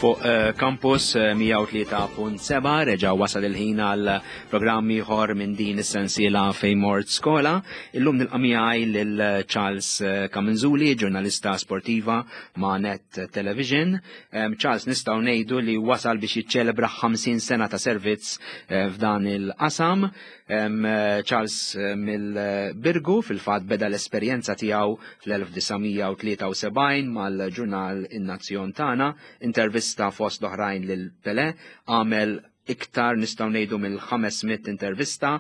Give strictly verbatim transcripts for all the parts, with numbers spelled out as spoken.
Fuq eh, Campus eh, mija u tlieta punt seba' reġa' wasal il-ħin għal programm ieħor minn din is-sensiela Fejn Mort Skola. Illum nilqa' miegħi lil Charles eh, Camenzuli, ġurnalista sportiva ma' Net Television. Em, Charles, nistgħu ngħidu li wasal biex jiċċelebra ħamsin sena ta' servizz eh, f'dan il-qasam. Em, eh, Charles eh, mill-Birgu, fil-fatt beda l-esperjenza tiegħu fl-elf disa' mija u tlieta u sebgħin mal-ġurnal In-Nazzjon Tagħna, intervista fost oħrajn lil Pele, għamel iktar, nistgħu ngħidu, mill-ħames mitt intervista,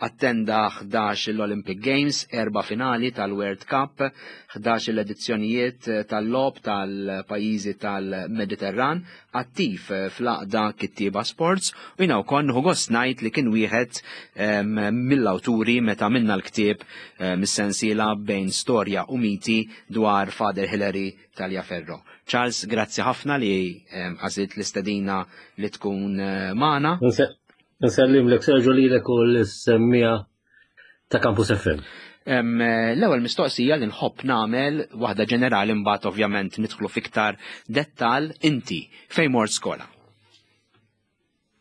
attenda ħdax l-Olympic Games, erba' finali tal-World Cup, ħdax l-edizzjonijiet tal-logħob tal-pajjiżi tal-Mediterran, attiv fl-Għaqda Kittieba Sports u jiena wkoll nieħu gost ngħid li kien wieħed em, mill-awturi meta minna l-ktieb eh, mis-sensiela Bejn Storja u Miti dwar Father Hillary Tagliaferro. Charles, grazzi ħafna li em, għażilt l-istedina li tkun eh, magħna. Nsellimlek, Sergio, lilek u lis-semmiegħa ta' Campus F M. Em, eh, L-ewwel mistoqsija li nħobb nagħmel, waħda ġenerali, mbagħad ovvjament nidħlu fiktar dettal: inti fejn mort skola?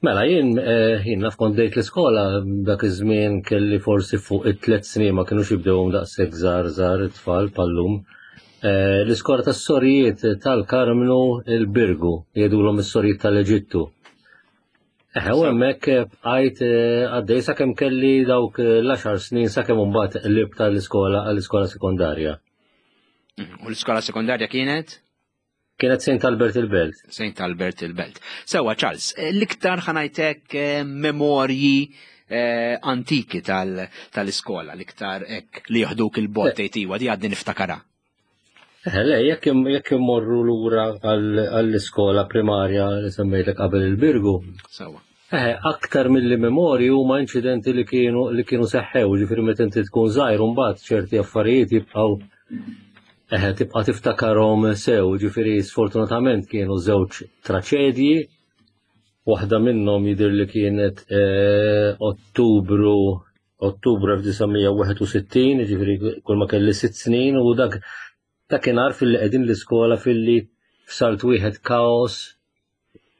Mela, jien eh, jien naf kont bdejt l-iskola dak iż-żmien kelli forsi fuq it-tliet snin, ma kinux jibdewhom daqshekk żgħar żgħar it-tfal bħal-lum. Eh, L-iskola tas-sorijiet tal-Karmnu il-Birgu, jgħidulhom is-sorijiet tal-Eġittu. Eħe, u hemmhekk bqajt eh, għaddej sakemm kelli dawk l-għaxar snin, sakemm imbagħad qlibt tal-iskola għall-iskola sekondarja. Mhm. U l-iskola sekondarja kienet? Kienet Saint Albert il-Belt. Saint Albert il-Belt. Sewa, Charles, eh, l-iktar, ħa ngħidlek, eh, memorji eh, antiki tal- tal-iskola, l-iktar ek li joħduk il-bot tgħid, "Di għadni niftakara." Eh, le, jekk im- jekk immorru lura għall- għall-iskola primarja li semmejtlek qabel, il-Birgu, Sewa. eh, aktar mill-li memorji huma inċidenti li kienu li kienu seħħew, ġifieri meta inti tkun żgħir mbagħad ċerti affarijiet jibqgħu eh, tibqa' tiftakarhom sew, ġifieri sfortunatament kienu żewġ traċedji. Waħda minnhom jidher li kienet eh, Ottubru Ottubru elf disa' mija u wieħed u sittin, ġifieri kull ma kelli sitt snin, u dak dakinhar filli qegħdin l-iskola, filli f'salt wieħed kaos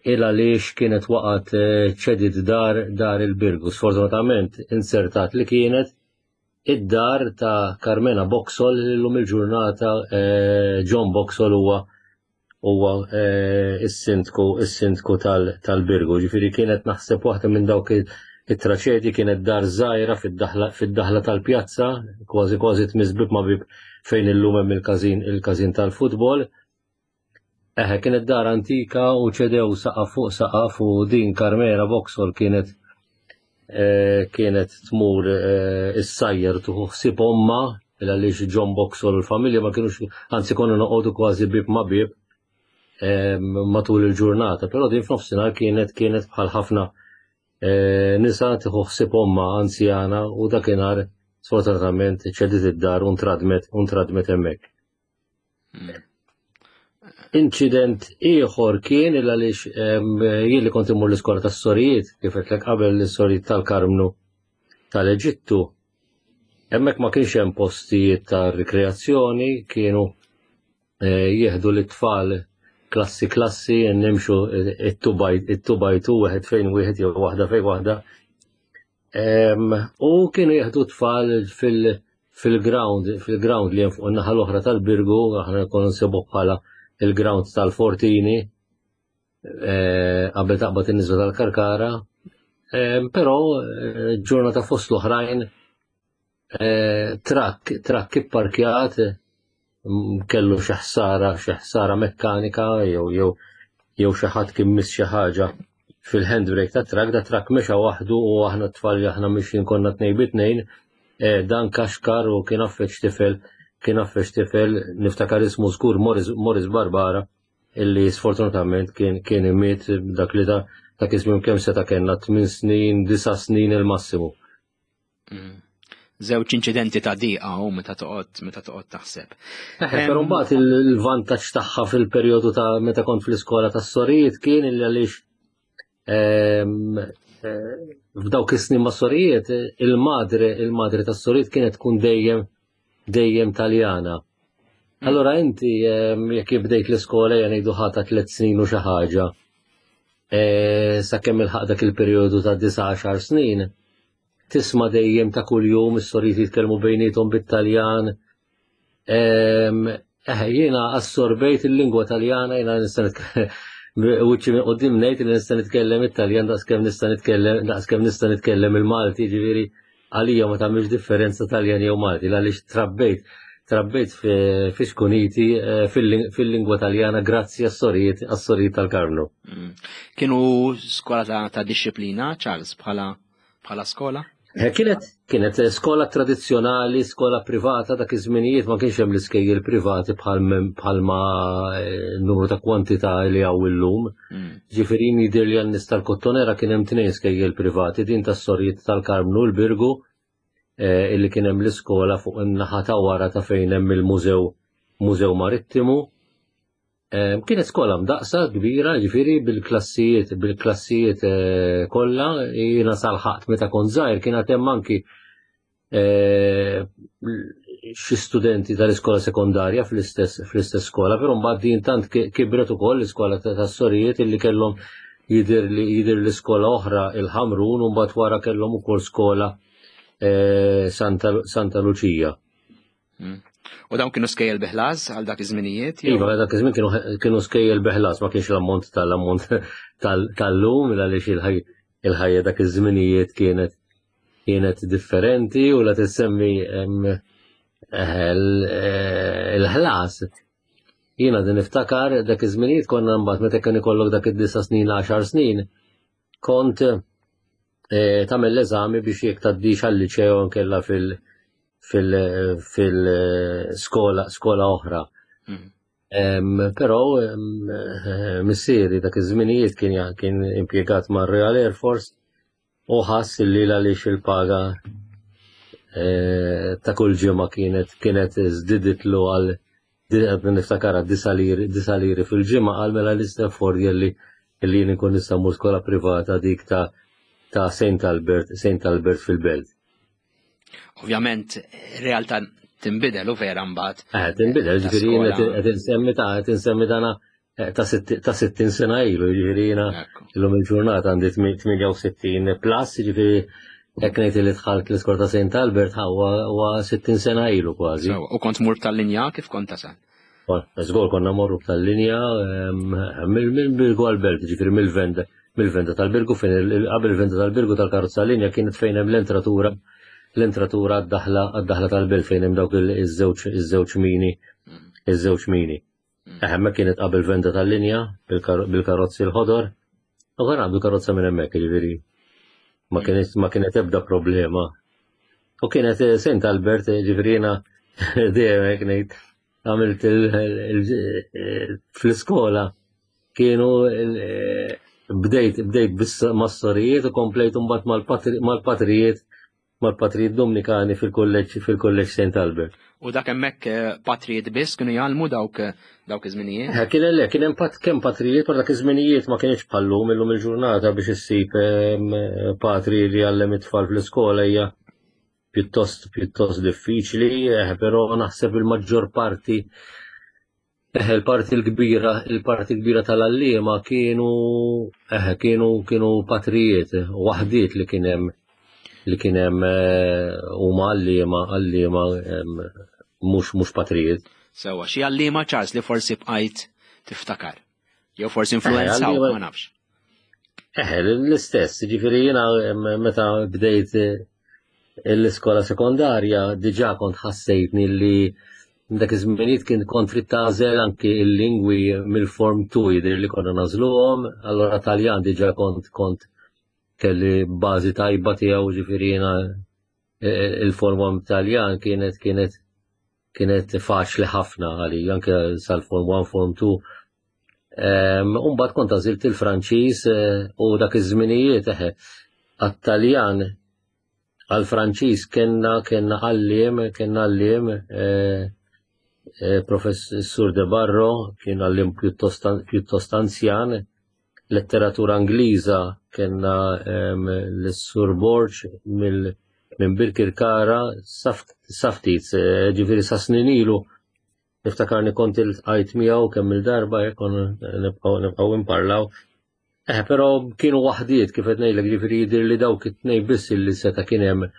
il għaliex kienet waqgħet, eh, ċediet dar dar il-Birgu. Sfortunatament insertat li kienet id-dar ta' Carmena Boxall, li llum il-ġurnata eh, John Boxall huwa huwa eh, is-sindku is-sindku tal- tal-Birgu. Ġifieri kienet naħseb waħda minn dawk il- it-traċedji, kienet dar żgħira fid-daħla fid-daħla tal-pjazza, kważi kważi tmiss bib ma' bib fejn illum hemm il-każin il-każin tal-futbol. Eħe, kienet dar antika u ċedew saqaf fuq saqaf, u din Carmela Boxall kienet eh, kienet tmur eh, issajjar, tieħu ħsieb omma, il għaliex John Boxall u l-familja ma kienux, anzi konna noqogħdu kważi bib ma' bib eh, matul il-ġurnata, però din f'nofsinhar kienet kienet bħal ħafna eh, nisa tieħu ħsieb omma anzjana, u dakinhar sfortunatament ċediet id-dar u ntradmet u ntradmet hemmhekk. Inċident ieħor kien il għaliex em, jien li kont immur l-iskola tas-sorijiet, kif għedtlek qabel, l-sorijiet tal-Karmnu tal-Eġittu, hemmhekk ma kienx hemm postijiet ta' rikreazzjoni, kienu eh, jieħdu l-tfal klassi klassi, nimxu it-two by two, wieħed fejn wieħed jew waħda fejn waħda. Em, U kienu jieħdu tfal fil- fil-ground, fil-ground li hemm fuq in-naħa l-oħra tal-Birgu, aħna konna nsibu bħala il-ground tal-Fortini, eh, qabel taqbad in-niżla tal-Karkara. Em, Però eh, ġurnata fost l-oħrajn eh, trakk, trakk ipparkjat mm, kellu xi ħsara, xi ħsara mekkanika jew jew jew xi ħadd kien miss xi ħaġa fil-handbrake ta' trakk, da trakk mexa waħdu u aħna t-tfal li aħna mixjin konna tnejn bi tnejn, eh, dan kaxkar u kien affeċ tifel, kien affeċ tifel, niftakar ismu żgur, Morris, Morris Barbara, illi sfortunatament kien kien imiet dak li ta' dak iż-żmien kemm seta' kellna, tmien snin, disa' snin il-massimu. Mm. Żewġ inċidenti ta' diqa u meta toqgħod meta toqgħod taħseb. Eħe, però mbagħad il- il-vantaġġ tagħha fil-perjodu ta' meta kont fl-iskola tas-sorijiet kien illi għaliex ehm, eh, f'dawk is-snin ma' sorijiet il-madre il-madre tas-sorijiet kienet tkun dejjem dejjem Taljana. Allora inti jekk bdejt l-iskola jgħidu ħata tliet snin u xi ħaġa. E, sakemm ilħaq dak il-perjodu ta' disa' għaxar snin, tisma' dejjem ta' kuljum is-sorijiet jitkellmu bejniethom bit-Taljan. Eh, jiena assorbejt il-lingwa Taljana, jiena nista' wiċċi minn quddiem ngħid li nista' nitkellem it-Taljan daqskemm nista' nitkellem daqskemm nista' nitkellem il-Malti, ġifieri għalija ma tagħmilx differenza Taljan jew Malti, għaliex trabbejt trabbejt fi xkuniti eh, fil-lingwa Taljana grazzi għas-sorijiet għas-sorijiet tal-Karmnu. Mm. Kienu skola ta', ta disċiplina, Charles, bħala bħala skola? Eh, kienet kienet skola tradizzjonali, skola privata, dak iż-żminijiet ma kienx hemm l-iskejjel privati bħalma eh, numru ta' kwantità li hawn illum. Mm. Ġifieri jidher li għan-nies tal-Kottonera kien hemm tnejn skejjel privati, din tas-sorijiet tal-Karmnu l-Birgu, eh, illi kien hemm l-iskola fuq in-naħa ta' wara ta' fejn hemm il-mużew Mużew Marittimu. Kienet skola mdaqsa kbira, ġifieri bil-klassijiet, bil-klassijiet eh, kollha, jiena salħaqt meta kont żgħir kien hemm anki eh, xi studenti tal-iskola sekondarja fl-istess fl-istess skola, però mbagħad din tant kibret ukoll l-iskola tas-sorijiet illi kellhom jidher li jidher l-iskola oħra il-Ħamrun u mbagħad wara kellhom ukoll skola eh, Santa, Santa Luċija. Mm. U dawn kienu skejjel bi ħlas għal dak iż-żminijiet? Iva, dak iż-żmien kienu kienu skejjel bi ħlas, ma kienx l-ammont tal-ammont tal-lum, għaliex il-ħajja dak iż-żminijiet kienet kienet differenti u la tissemmi eh, il-ħlas. Jiena din niftakar dak iż-żminijiet konna mbagħad meta kien ikollok dak id-disa' snin, għaxar snin, kont eh, tagħmel l-eżami biex jekk tgħaddix għal-liċeo nkella fil- fil-skola skola oħra. Mm. Però missieri dak iż-żminijiet kien kien impjegat mar Royal Air Force u ħass li għaliex il-paga eh, ta' kull ġimgħa kienet kienet żdiditlu għal niftakara disa' liri disa' liri fil-ġimgħa, għal mela l-istafford li li jien nkun nista' mmur skola privata dik ta' ta' Saint Albert Saint Albert fil-Belt. Ovvjament, realtà tinbidel u vera mbagħad. Eh, tinbidel, ġifieri jien qed insemmi ta' qed insemmi dana eh, ta' sittin sena ilu, ġifieri jiena illum il-ġurnata għandi tmienja u sittin plus, ġifieri hekk ngħid li dħalt l-iskola ta' Saint Albert huwa sittin sena ilu kważi. U kont mur tal-linja kif kont tasal? Żgur konna morru tal-linja mill-Birgu għall-Belt, ġifieri mill-venda mill-venda tal-Birgu fejn qabel il-venda tal-Birgu tal-karozza linja kienet fejn hemm l-entratura l-entratura għad-daħla għad-daħla tal-belt fejn hemm dawk iż-żewġ iż-żewġ mini iż-żewġ mini. Hemmhekk kienet qabel venda tal-linja bil-karozzi l-ħodor u konna għabdu karozza minn hemmhekk, ġifieri ma kienet ma kienet ebda problema. U kienet Saint Albert, ġifieri jiena dejjem hekk ngħid għamilt fl-iskola kienu bdejt bdejt biss mas-sorijiet u komplejt mbagħad mal-patrijiet mal-patrijiet Dominikani fil-kulleġġ fil-kulleġġ Saint Albert. U dak hemmhekk patrijiet biss kienu jgħallmu dawk dawk iż-żminijiet? Eh, kien le, kien hemm pat kemm patrijiet, però dak iż-żminijiet ma kienx bħallum illum il-ġurnata biex issib patri li jgħallem it-tfal fl-iskola hija pjuttost pjuttost diffiċli, eh, però naħseb il-maġġor parti eh, il-parti l-kbira il-parti kbira tal-għalliema kienu eh, kienu kienu patrijiet waħdiet li kien hemm li kien hemm huma għalliema għalliema mhux mhux patrijiet. Sewwa, xi għalliema Charles li forsi bqajt tiftakar. Jew forsi influenzaw, ma nafx. Eh, l-istess, ġifieri jiena meta bdejt l-iskola sekondarja diġà kont ħassejtni li dak iż-żminijiet kien kont trid tagħżel anki l-lingwi mill-form two jidher li konna nagħżluhom, allora Taljan diġà kont kont kelli bażi tajba tiegħu, ġifieri jiena il-form one Taljan kienet kienet kienet faċli ħafna għalija anke sal-form one, form two. U mbagħad kont għażilt il-Franċiż u dak iż-żminijiet eħe għat-Taljan għal-Franċiż kellna kellna għalliem kellna għalliem Professur De Barro, kien għalliem pjuttost pjuttost anzjan. Letteratura Ingliża kellna l-Sur Borg mill minn Birkirkara saftit, ġifieri sa snin ilu Niftakarni kont iltqajt miegħu kemm il-darba jekk nibqgħu nibqgħu imparlaw. Eh, però kienu waħdiet kif qed ngħidlek, ġifieri jidher li dawk it-tnejn biss illi seta' kien hemm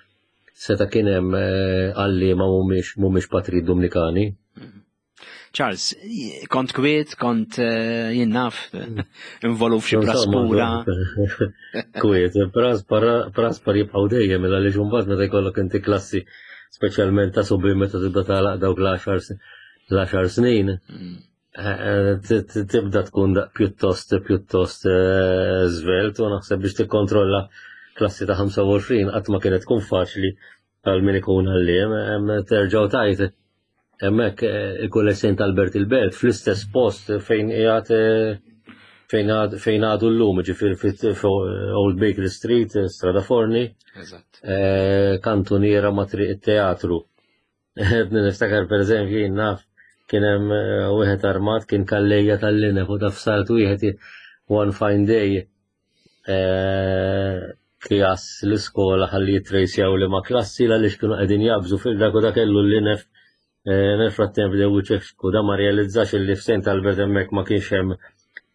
seta' kien hemm eh, għalliema mhumiex mhumiex patri Dominikani. Charles, kont kwiet, kont eh, jien naf, involut f'xi praspura. Kwiet, praspar jibqgħu dejjem mela li mbagħad meta jkollok inti klassi, speċjalment ta' subien, meta tibda tagħlaq dawk l-għaxar snin, mm. eh, tibda tkun pjuttost pjuttost eh, żvelt u naħseb biex tikkontrolla klassi ta' ħamsa u għoxrin qatt ma kienet tkun faċli għal min ikun għalliem, terġgħu tajt hemmhekk eh, il-Kulleġġ Saint Albert il-Belt fl-istess post fejn qiegħed eh, fejn fejn għadu llum, ġifieri Old Baker Street, Strada Forni, eh, kantuniera ma' Triq it-Teatru. Niftakar, per eżempju, naf kien hemm wieħed armat, kien kallejja tal-linef u taf salt wieħed one fine day kjas l-iskola ħalli jitrejsjaw li ma klassi għaliex kienu qegħdin jabżu fil-dak u dak kellu l-linef. Nel frattemp bdew iċekċku, da ma realizzax li f'Saint Albert hemmhekk ma kienx hemm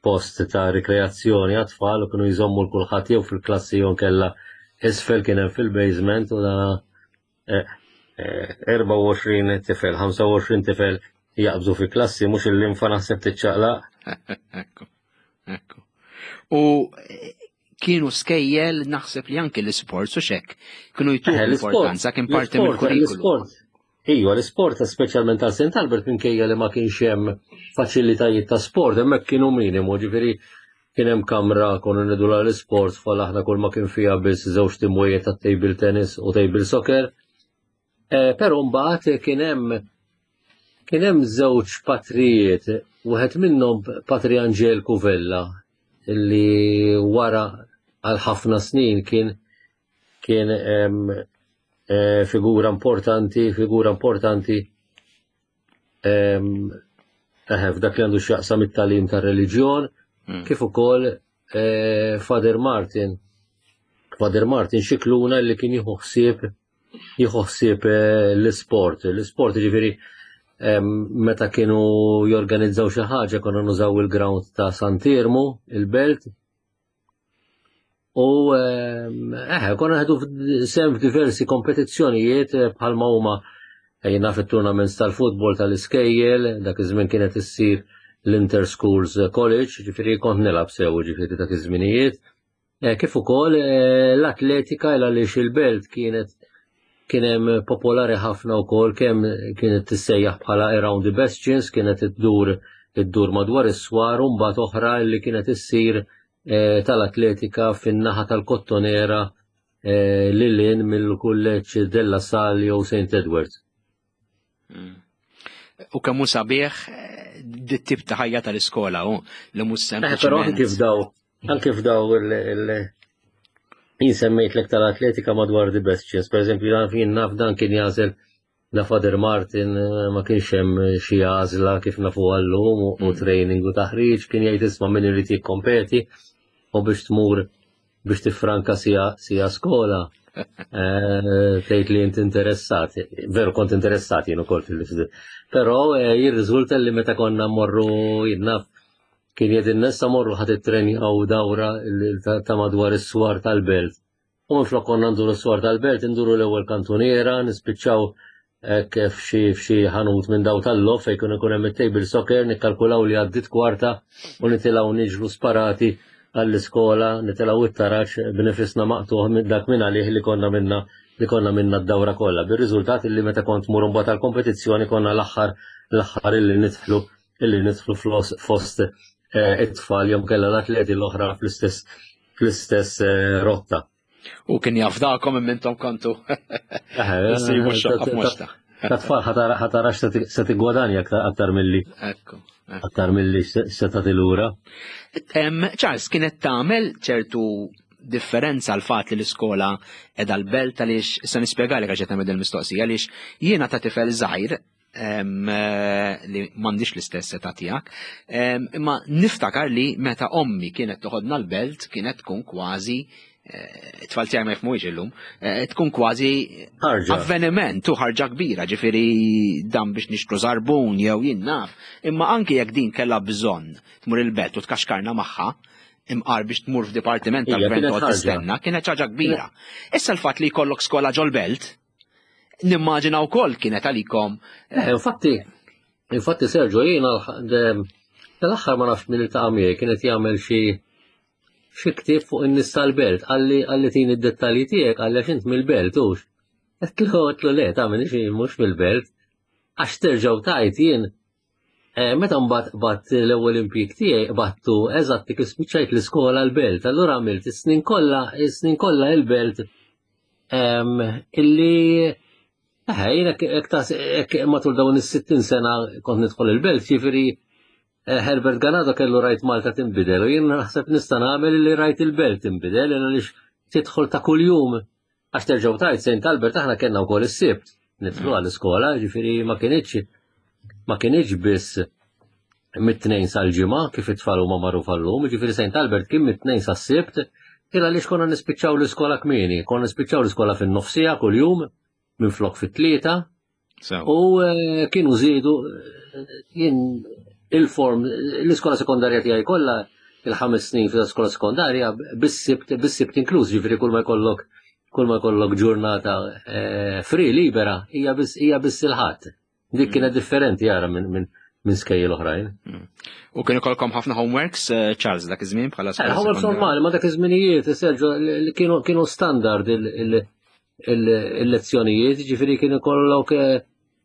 post ta' rikreazzjoni għat-tfal u kienu jżommu l-kulħadd jew fil-klassi jew kella isfel kien hemm fil-basement u da erbgħa u għoxrin tifel, ħamsa u għoxrin tifel jaqbżu fi klassi, mhux il-linfa naħseb tiċċaqlaq. Ekku, ekku. U kienu skejjel naħseb li anke l-sports u xek kienu jtuh importanza, kien parti mill-kurrikulu. Iva, l-sport, speċjalment tal Saint Albert, minkejja li ma kienx hemm faċilitajiet ta' sport, hemmhekk kienu minimu, ġifieri kien hemm kamra konna ngħidulha l-sport fol aħna, kull ma kien fiha biss żewġ timwijiet ta' table tennis u table soccer. Eh, però mbagħad kien hemm kien hemm żewġ patrijiet, wieħed minnhom Patri Angel Cuvella, illi wara għal ħafna snin kien kien eh, figura importanti, figura importanti eh, f'dak li għandu x'jaqsam it-tagħlim tar-reliġjon, mm. kif ukoll eh, Father Martin. Father Martin Xikluna li kien jieħu ħsieb jieħu ħsieb l-isport. L-isport, ġifieri, meta kienu jorganizzaw xi ħaġa konna nużaw il-ground ta' Sant'Iermu, il-Belt. U eh, konna ħedu sehem f'diversi kompetizzjonijiet eh, bħalma huma jiena fit-tournaments tal-futbol tal-iskejjel, dak iż-żmien kienet issir l-Inter Schools College, ġifieri kont nilgħab sew ġifieri dak iż-żminijiet. Eh, kif ukoll eh, l-atletika, għaliex il-Belt kienet kien hemm popolari ħafna wkoll kemm kienet tissejjaħ bħala Around the Bastions, kienet iddur iddur madwar is-swar, u mbagħad oħra li kienet issir eh, tal-atletika fin-naħa tal-Kottonera, eh, lil hinn mill-kulleġġ Della Salle jew Saint Edwards. Mm. U kemm hu sabiħ eh, dit-tip ta' ħajja tal-iskola u li mhux sempliċement. Però anke f'daw, anke f'daw il- jien semmejt tal-atletika madwar the Bastions, per eżempju, dan jien naf dan kien jagħżel la Father Martin, eh, ma kienx hemm xi għażla kif nafu għallum u mm. training u taħriġ, kien jgħid, "Isma', min irid jikkompeti u biex tmur biex tifranka sija, sija skola, eh, tgħid li inti interessat." Veru kont interessat jien ukoll fil Però eh, jirriżulta li meta konna mmorru, jien naf, kien jgħid issa morru ħa tittrenjaw dawra ta' madwar is-swar tal-Belt. U minflok konna nduru s-swar tal-Belt, nduru l-ewwel kantuniera, nispiċċaw kif xi f'xi ħanut minn daw tal-lof fejn ikun ikun hemm it-table soccer, nikkalkulaw li għaddit kwarta u nitilgħu niġru sparati għall-iskola, nitilgħu it-taraġ b'nifisna maqtuħ minn dak minn għalih li konna minna li konna minna d-dawra kollha. Bir-riżultat li meta kont mur mbagħad għall-kompetizzjoni konna l-aħħar l-aħħar illi nidħlu illi nidħlu fost eh, it-tfal jew kellha l-atleti l-oħra fl-istess fl-istess eh, rotta. U kien jafdakom minn intom kontu. Ta' tfal ħa tarax se tigwadanja aktar milli. Ekku. Aktar milli se tagħti lura. Charles, kienet tagħmel ċertu differenza l-fat li l-iskola edha l-Belt? Għaliex, issa nispjegalek għax qed nagħmel il-mistoqsija, għaliex jiena ta' tifel żgħir li m'għandix l-istess età tiegħek, imma niftakar li meta ommi kienet toħodna l-Belt kienet tkun kważi eh, it-tfal tiegħi ma jifhmuhiex illum, eh, tkun kważi avveniment u ħarġa kbira, ġifieri dan biex nixtru żarbun jew jien naf. Imma anki jekk din kellha bżonn tmur il-belt u tkaxkarna magħha, imqar biex tmur f'dipartiment tal-gvern u tistenna, kienet ħaġa kbira. Issa l-fatt li jkollok skola ġol-belt, nimmaġina wkoll kienet għalikom. Eh, infatti, infatti Sergio, jiena tal-aħħar ma nafx min iltaqa' miegħi kienet jagħmel xi xi ktieb fuq in-nies tal-belt, qalli qalli tini d-dettalji tiegħek, qalli għax int mill-belt hux. Għedtlu għedtlu le, ta' minix mhux mill-belt. Għax terġgħu tajt jien eh, meta mbagħad bat l-ewwel impjieg tiegħi battu eżatt kif spiċċajt l-iskola l-belt, allura għamilt is-snin kollha is-snin kollha il-belt illi eh, jiena matul dawn is-sittin sena kont nidħol il-belt, ġifieri Eh, Herbert Ganado kellu rajt Malta tinbidel u jien naħseb nista' nagħmel li rajt il-belt tinbidel għaliex tidħol ta' kuljum għax terġgħu tajt Saint Albert aħna kellna wkoll is-Sibt nidħlu mm. għall-iskola, ġifieri ma kienx ma kienx biss mit-tnejn sal-ġimgħa kif it-tfal huma magħruf llum, ġifieri Saint Albert kien mit-tnejn sas-Sibt, kien għaliex konna nispiċċaw l-iskola kmieni, konna nispiċċaw l-iskola fin-nofsija kuljum minflok fit-tlieta. U eh, kienu żiedu eh, jien il-form, l-iskola sekondarja tiegħi kollha il-ħames snin fil-iskola sekondarja bis-sibt bis-sibt inkluż, ġifieri kull ma jkollok kull ma jkollok ġurnata eh, free libera hija biss hija biss il-ħadd. Dik mm. kienet differenti jara minn min, minn skejjel oħrajn. Mm. U kienu kolkom ħafna homeworks, eh, Charles, dak iż-żmien bħala skola. Eh, homeworks normali, ma dak iż-żminijiet, Sergio, kienu kienu standard il-lezzjonijiet, ġifieri kienu kollok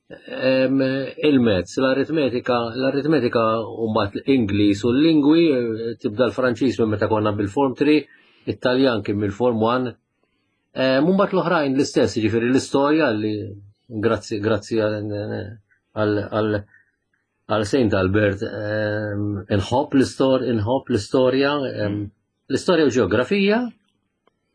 il-mezz, l-aritmetika, l-aritmetika u mbagħad l-Ingliż u l-lingwi, tibda l-Franċiż minn meta konna bil-Form three, it-Taljan kien mill-Form one. Mbagħad l-oħrajn l-istess, jiġifieri l-istorja li grazzi grazzi għal għal Saint Albert inħobb l-istor, inħobb l-istorja, l-istorja u ġeografija.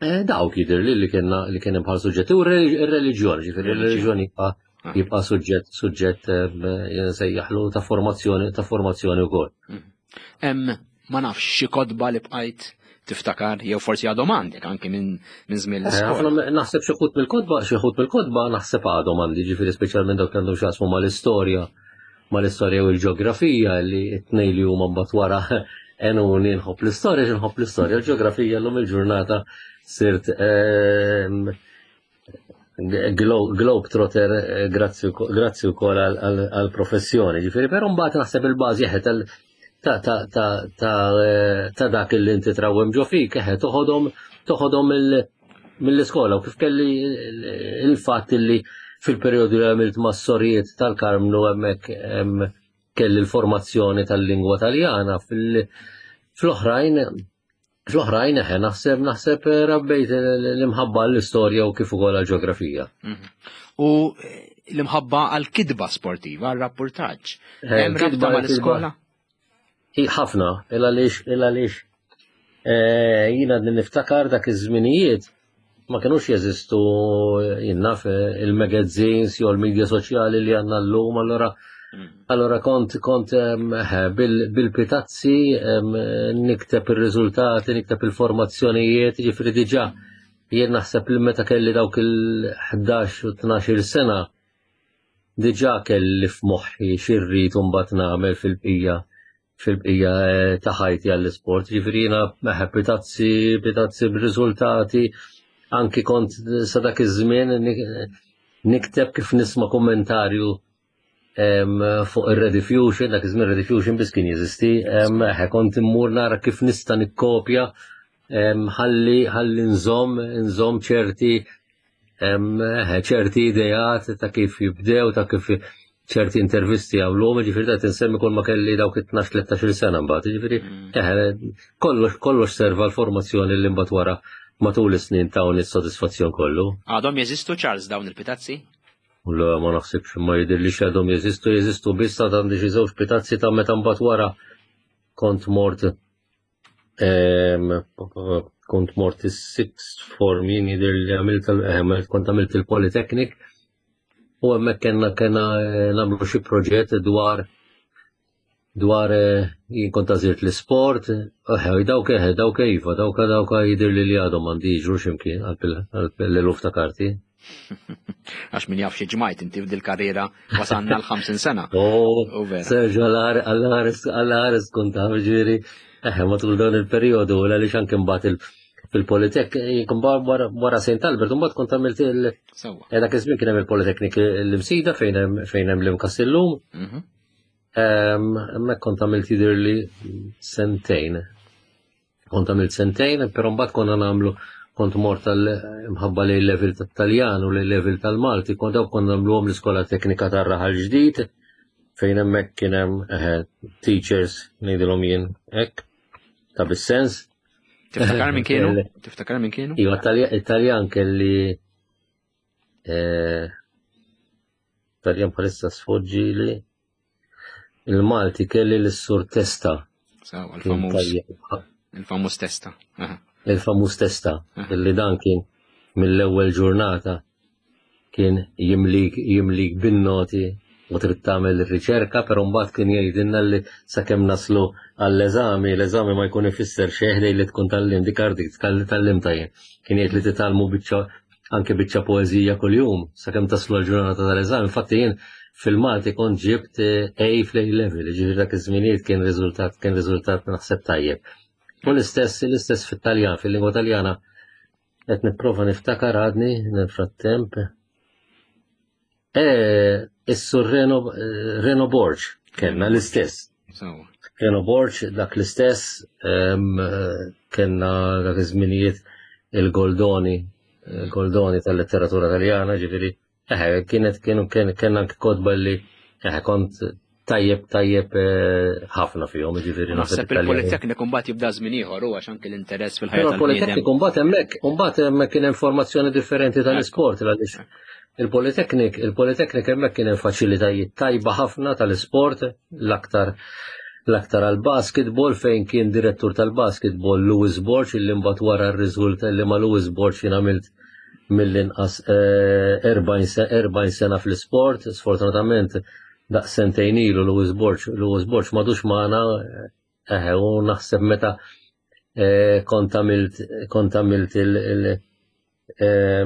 Eh, dawk jidher li li kienna li kien hemm bħal suġġett u r-reliġjon, ġifieri r-reliġjon jibqa' ah. jibqa' suġġett suġġett eh, sejjaħlu ta' formazzjoni ta' formazzjoni wkoll. Mm. Hemm ma nafx xi kotba li bqajt tiftakar jew forsi għadhom għandek anke minn minn żmien eh, l-iskola. Naħseb xi ħut mill-kotba, xi ħut mill-kotba naħseb għadhom għandi, ġifieri speċjalment dawk li għandhom x'jaqsmu mal-istorja mal-istorja u l-ġeografija li t-tnejn li huma mbagħad wara enuni nħobb l-istorja, nħobb l-istorja, l-ġeografija llum il-ġurnata sirt ehm, globetrotter eh, grazzi wkoll għall-professjoni. Ġifieri, però mbagħad naħseb il-bażi eħe ta' ta' dak li inti trawwem ġo fik, eħe toħodhom toħodhom mill-iskola u kif kelli il-fatt li fil-perjodu li għamilt mas-sorijiet tal-Karmnu hemmhekk kelli l-formazzjoni tal-lingwa Taljana fl-oħrajn fl-oħrajn eħe naħseb naħseb eh, rabbejt l-imħabba għall-istorja u kif ukoll għall-ġeografija. Mhm. U eh, l-imħabba għall-kitba sportiva, għall-rapportaġġ. Eh, Hemm rabta mal-iskola? Ħafna, il għaliex il għaliex jiena niftakar dak iż-żminijiet ma kinux jeżistu jien naf il-magazines jew l-media soċjali li għandna llum, allura mm. allura kont kont bil-pitazzi nikteb ir-riżultati, nikteb il-formazzjonijiet, ġifieri diġà jien naħseb li meta kelli dawk il-ħdax u tnax-il sena diġà kelli f'moħħi x'irrid u mbagħad nagħmel fil-bqija fil-bqija eh, ta' ħajti għall-isport. Ġifieri jiena meħe pitazzi, pitazzi b'riżultati, anki kont sa dak iż-żmien nikteb kif nisma' kummentarju fuq ir-Rediffusion, dak iż-żmien Rediffusion biss kien jeżisti, eħe kont immur nara kif nista' nikkopja ħalli ħalli nżomm nżomm ċerti ċerti ideat ta' kif jibdew, ta' kif ċerti intervisti għamluhom, ġifieri ta' tinsemmi kull ma kelli dawk it-tnax tlettax-il sena mbagħad, ġifieri mm. eh, kollox kollox serva l-formazzjoni li mbagħad wara matul is-snin tawni s-sodisfazzjon kollu. Għadhom jeżistu Charles dawn il-pitazzi? Le ma naħsibx ma jidhirlix għadhom jeżistu, jeżistu biss ta' għandi xi żewġ pitazzi ta' meta mbagħad wara kont mort kont mort is-sixth form jien jidher li għamilt eh, kont għamilt il-Polytechnic u hemmhekk kellna kellna eh, nagħmlu xi proġett dwar Dwar eh, jien kont għażilt l-isport, eħe, dawk eħe, dawk iva, dawk dawk jidher li li għadhom għandi jiġru x'imkien għal l-eluf ta' karti. Għax min jaf xi ġmajt inti f'dil karriera, wasanna l-ħamsin sena. Oh, Sergio, għall-ħares kont taf, ġifieri, eħe, matul dan il-periodu, għaliex anke mbagħad fil-Politek, wara Saint Albert, mbagħad kont għamilt il- eh, Dak iż-żmien kien hemm il-Politeknik l-Imsida fejn hemm l-Imkast illum. Mhm. Hemmhekk kont għamilt, jidher li, sentejn. Kont għamilt sentejn, però mbagħad konna nagħmlu, kont mort tal-imħabba li level tat-Taljan u li level tal-Malti, kont dawk konna nagħmluhom l-Iskola Teknika tar-Raħal Ġdid, fejn hemmhekk kien hemm teachers, ngħidilhom jien hekk, ta' bis-sens. Tiftakar minn kienu? Tiftakar minn kienu? Iva, Italjan kelli, eh, Taljan bħalissa sfoġġili. Il-Malti kelli l-Sur Testa. Sawa, il-famuż. Il-famuż Testa. Il-famuż Testa, illi dan kien mill-ewwel ġurnata kien jimlik jimlik bin-noti u trid tagħmel ir-riċerka, però mbagħad kien jgħidilna li sakemm naslu għall-eżami, l-eżami ma jkun ifisser xejn li tkun tgħallimt dik ardik tgħallimtha jien. Kien jgħid li titgħallmu biċċa, anke biċċa poeżija kuljum sakemm taslu l-ġurnata tal-eżami. Infatti jien fil-Malti kont ġibt A fl-A level, ġifieri dak iż-żminijiet kien riżultat kien riżultat naħseb tajjeb. U l-istess l-istess fit-Taljan, fil-lingwa Taljana qed nipprova niftakar għadni nel-frattemp. Eh, Is-Sur Reno, Reno Borg kellna l-istess. Reno Borg dak l-istess, kellna dak iż-żminijiet il-Goldoni, il-Goldoni tal-letteratura Taljana, ġifieri eħe, kienet kienu kellna anke kotba li eħe kont tajjeb tajjeb eh, ħafna fihom, ġifieri. Naħseb il-Politekniku mbagħad jibda żmien ieħor, u għax anke l-interess fil-ħajja. Il-Politekniku mbagħad hemmhekk, mbagħad hemmhekk kien hemm formazzjoni differenti tal-isport, għaliex il-Politeknik, il-Politeknik hemmhekk kien hemm faċilitajiet tajba ħafna tal-isport, l-aktar l-aktar għal-basketball, fejn kien direttur tal-basketball Louis Borg, illi mbagħad wara r-riżulta li ma' Louis Borg jien għamilt mill-inqas erbgħin sena fl-isport. Sfortunatament daq sentejn ilu Louis Borg, Louis Borg m'għadux magħna, eħe, u naħseb meta kont għamilt kont għamilt il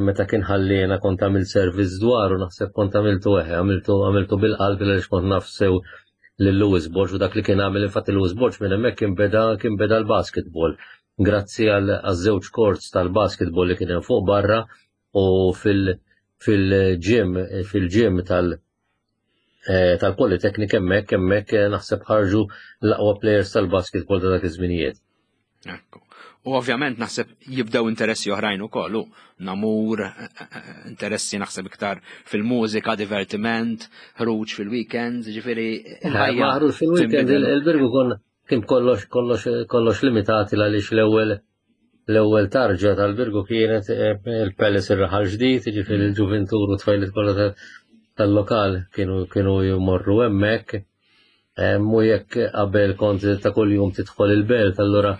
meta kien ħallina kont għamilt servizz dwaru, naħseb kont għamiltu, eħe, għamiltu għamiltu bil-qalb għaliex kont naf sew lil Louis Borg u dak li kien għamil. Infatti Louis Borg minn hemmhekk kien beda kien beda l-basketball grazzi għal żewġ courts tal-basketball li kien hemm fuq barra u fil fil-gym fil-gym tal tal-Politeknik hemmhekk hemmhekk naħseb ħarġu l-aqwa players tal-basketball ta' dak iż-żminijiet. Ekku. U ovvjament naħseb jibdew interessi oħrajn ukoll, u namur, interessi naħseb iktar fil-mużika, divertiment, ħruġ fil-weekends, ġifieri il-ħajja. Ħruġ fil-weekend, il-Birgu kon kien kollox kollox kollox limitati għaliex l-ewwel l-ewwel tarġa tal-Birgu kienet il-Palace ir-Raħal Ġdid, ġifieri il-ġuventur u tfajliet kollha tal-lokal kienu kienu jmorru hemmhekk. Mu jekk qabel kont ta' kuljum tidħol il-belt, allura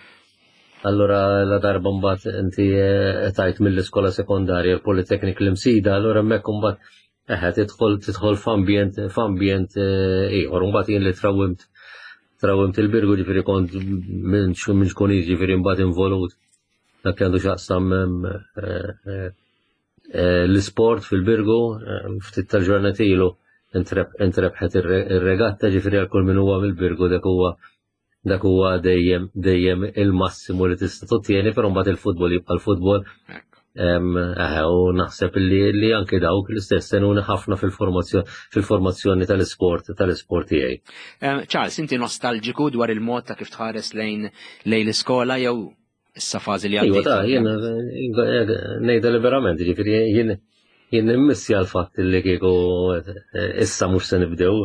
allura la darba mbagħad inti tajt mill-iskola sekondarja l-Politeknik l-Imsida, allura hemmhekk imbagħad eħe tidħol tidħol f'ambjent f'ambjent ieħor. Mbagħad jien li trawimt trawimt il-Birgu, ġifieri kont minn minn xkun, ġifieri mbagħad involut dak li għandu x'jaqsam l-isport fil-Birgu. Ftit tal-ġurnati ilu intrebħet ir-regatta, ġifieri għal kull min huwa mill-Birgu dak huwa dak huwa dejjem dejjem il-massimu li tista' tottieni, però mbagħad il-futbol jibqa' l-futbol. U naħseb li li anke dawk l-istess għenuni ħafna fil-formazzjoni fil-formazzjoni tal-isport tal-isport tiegħi. Charles, inti nostalġiku dwar il-mod ta' kif tħares lejn lejn l-iskola jew issa fażi li għaddejt? Iva, jien ngħidha liberament, ġifieri jien jien nimmissja l-fatt li kieku issa mhux se nibdew.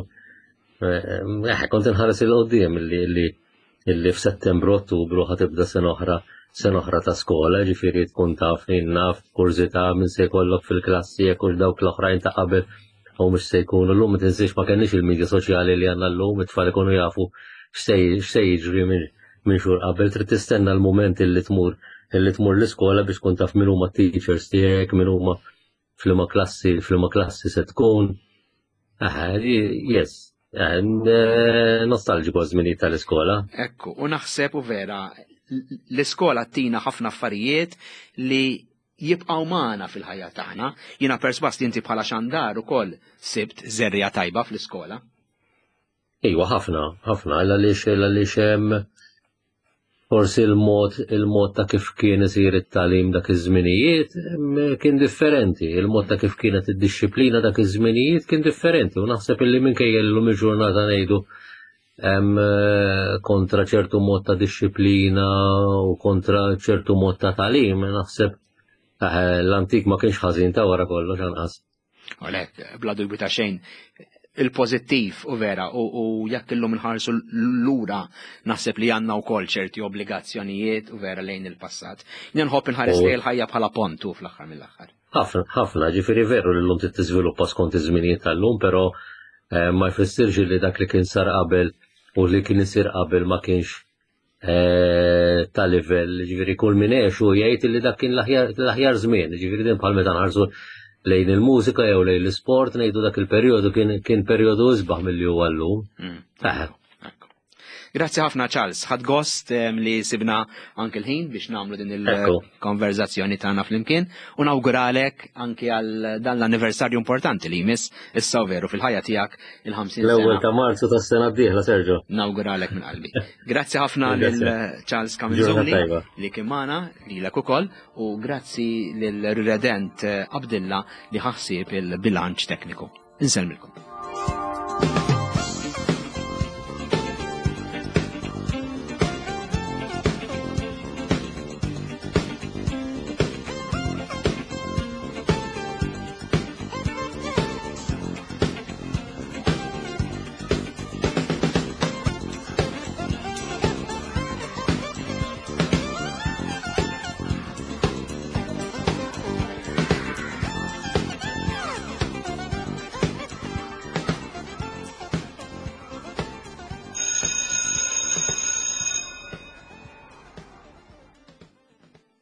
Eh, kont inħares 'il quddiem li li illi f'Settembru, Ottubru ħa tibda sena oħra sena oħra ta' skola, ġifieri tkun taf, naf kurżità minn se jkollok fil-klassi, jekk hux dawk l-oħrajn ta' qabel u mhux se jkunu. Llum ma tinsiex ma kenniex il-medja soċjali li għandna llum, it-tfal ikunu jafu x'se jiġri minn minn xhur qabel, trid tistenna l-mument illi tmur illi tmur l-iskola biex tkun taf min huma teachers tiegħek, min huma f'liema klassi f'liema klassi se tkun. Aha, yes. Eh, nostalġiku żminijiet tal-iskola. Ekku, u naħseb u vera, l-iskola tina ħafna affarijiet li jibqgħu magħna fil-ħajja tagħna. Jiena persważ li inti bħala xandar ukoll sibt żerriegħa tajba fl-iskola. Iwa, ħafna, ħafna, għaliex għaliex hemm forsi il-mod il-mod ta' kif kien isir it-tagħlim dak iż-żminijiet kien differenti, il-mod ta' kif kienet id-dixxiplina dak iż-żminijiet kien differenti u naħseb illi minkejja llum il-ġurnata ngħidu kontra ċertu mod ta' dixxiplina u kontra ċertu mod ta' tagħlim, naħseb eh, l-antik ma kienx ħażin ta' wara kollox anqas. Għalek, bla dubju ta' xejn, il-pozittiv u vera u, u jekk illum nħarsu lura naħseb li għandna wkoll ċerti obbligazzjonijiet u vera lejn il-passat. Jien nħobb inħares lejn il-ħajja bħala pontu fl-aħħar mill-aħħar. Ħafna, ħafna, ġifieri veru li llum tiżviluppa skont iż-żminijiet tal-lum, però eh, ma jfissirx li dak li kien sar qabel u li kien isir qabel ma kienx eh, ta' livell, ġifieri kull min għex u jgħid li dak kien l-aħjar żmien, ġifieri din bħal meta nħarsu lejn il-mużika jew lejn l-sport ngħidu dak il-perjodu kien kien perjodu isbaħ milli huwa llum. Mm. Grazzi ħafna, Charles, ħadt gost li sibna anke l-ħin biex nagħmlu din il-konverzazzjoni tagħna flimkien u nawguralek anke għal dan l-anniversarju importanti li jmiss issa veru fil-ħajja tiegħek, il-ħamsin. L-ewwel ta' Marzu tas-sena d-dieħla, Sergio. Nawguralek minn qalbi. Grazzi ħafna lil Charles Camenzuli li kien magħna, lilek ukoll, u grazzi lil Redent Abdilla li ħa ħsieb il-bilanċ tekniku. Insellmilkom.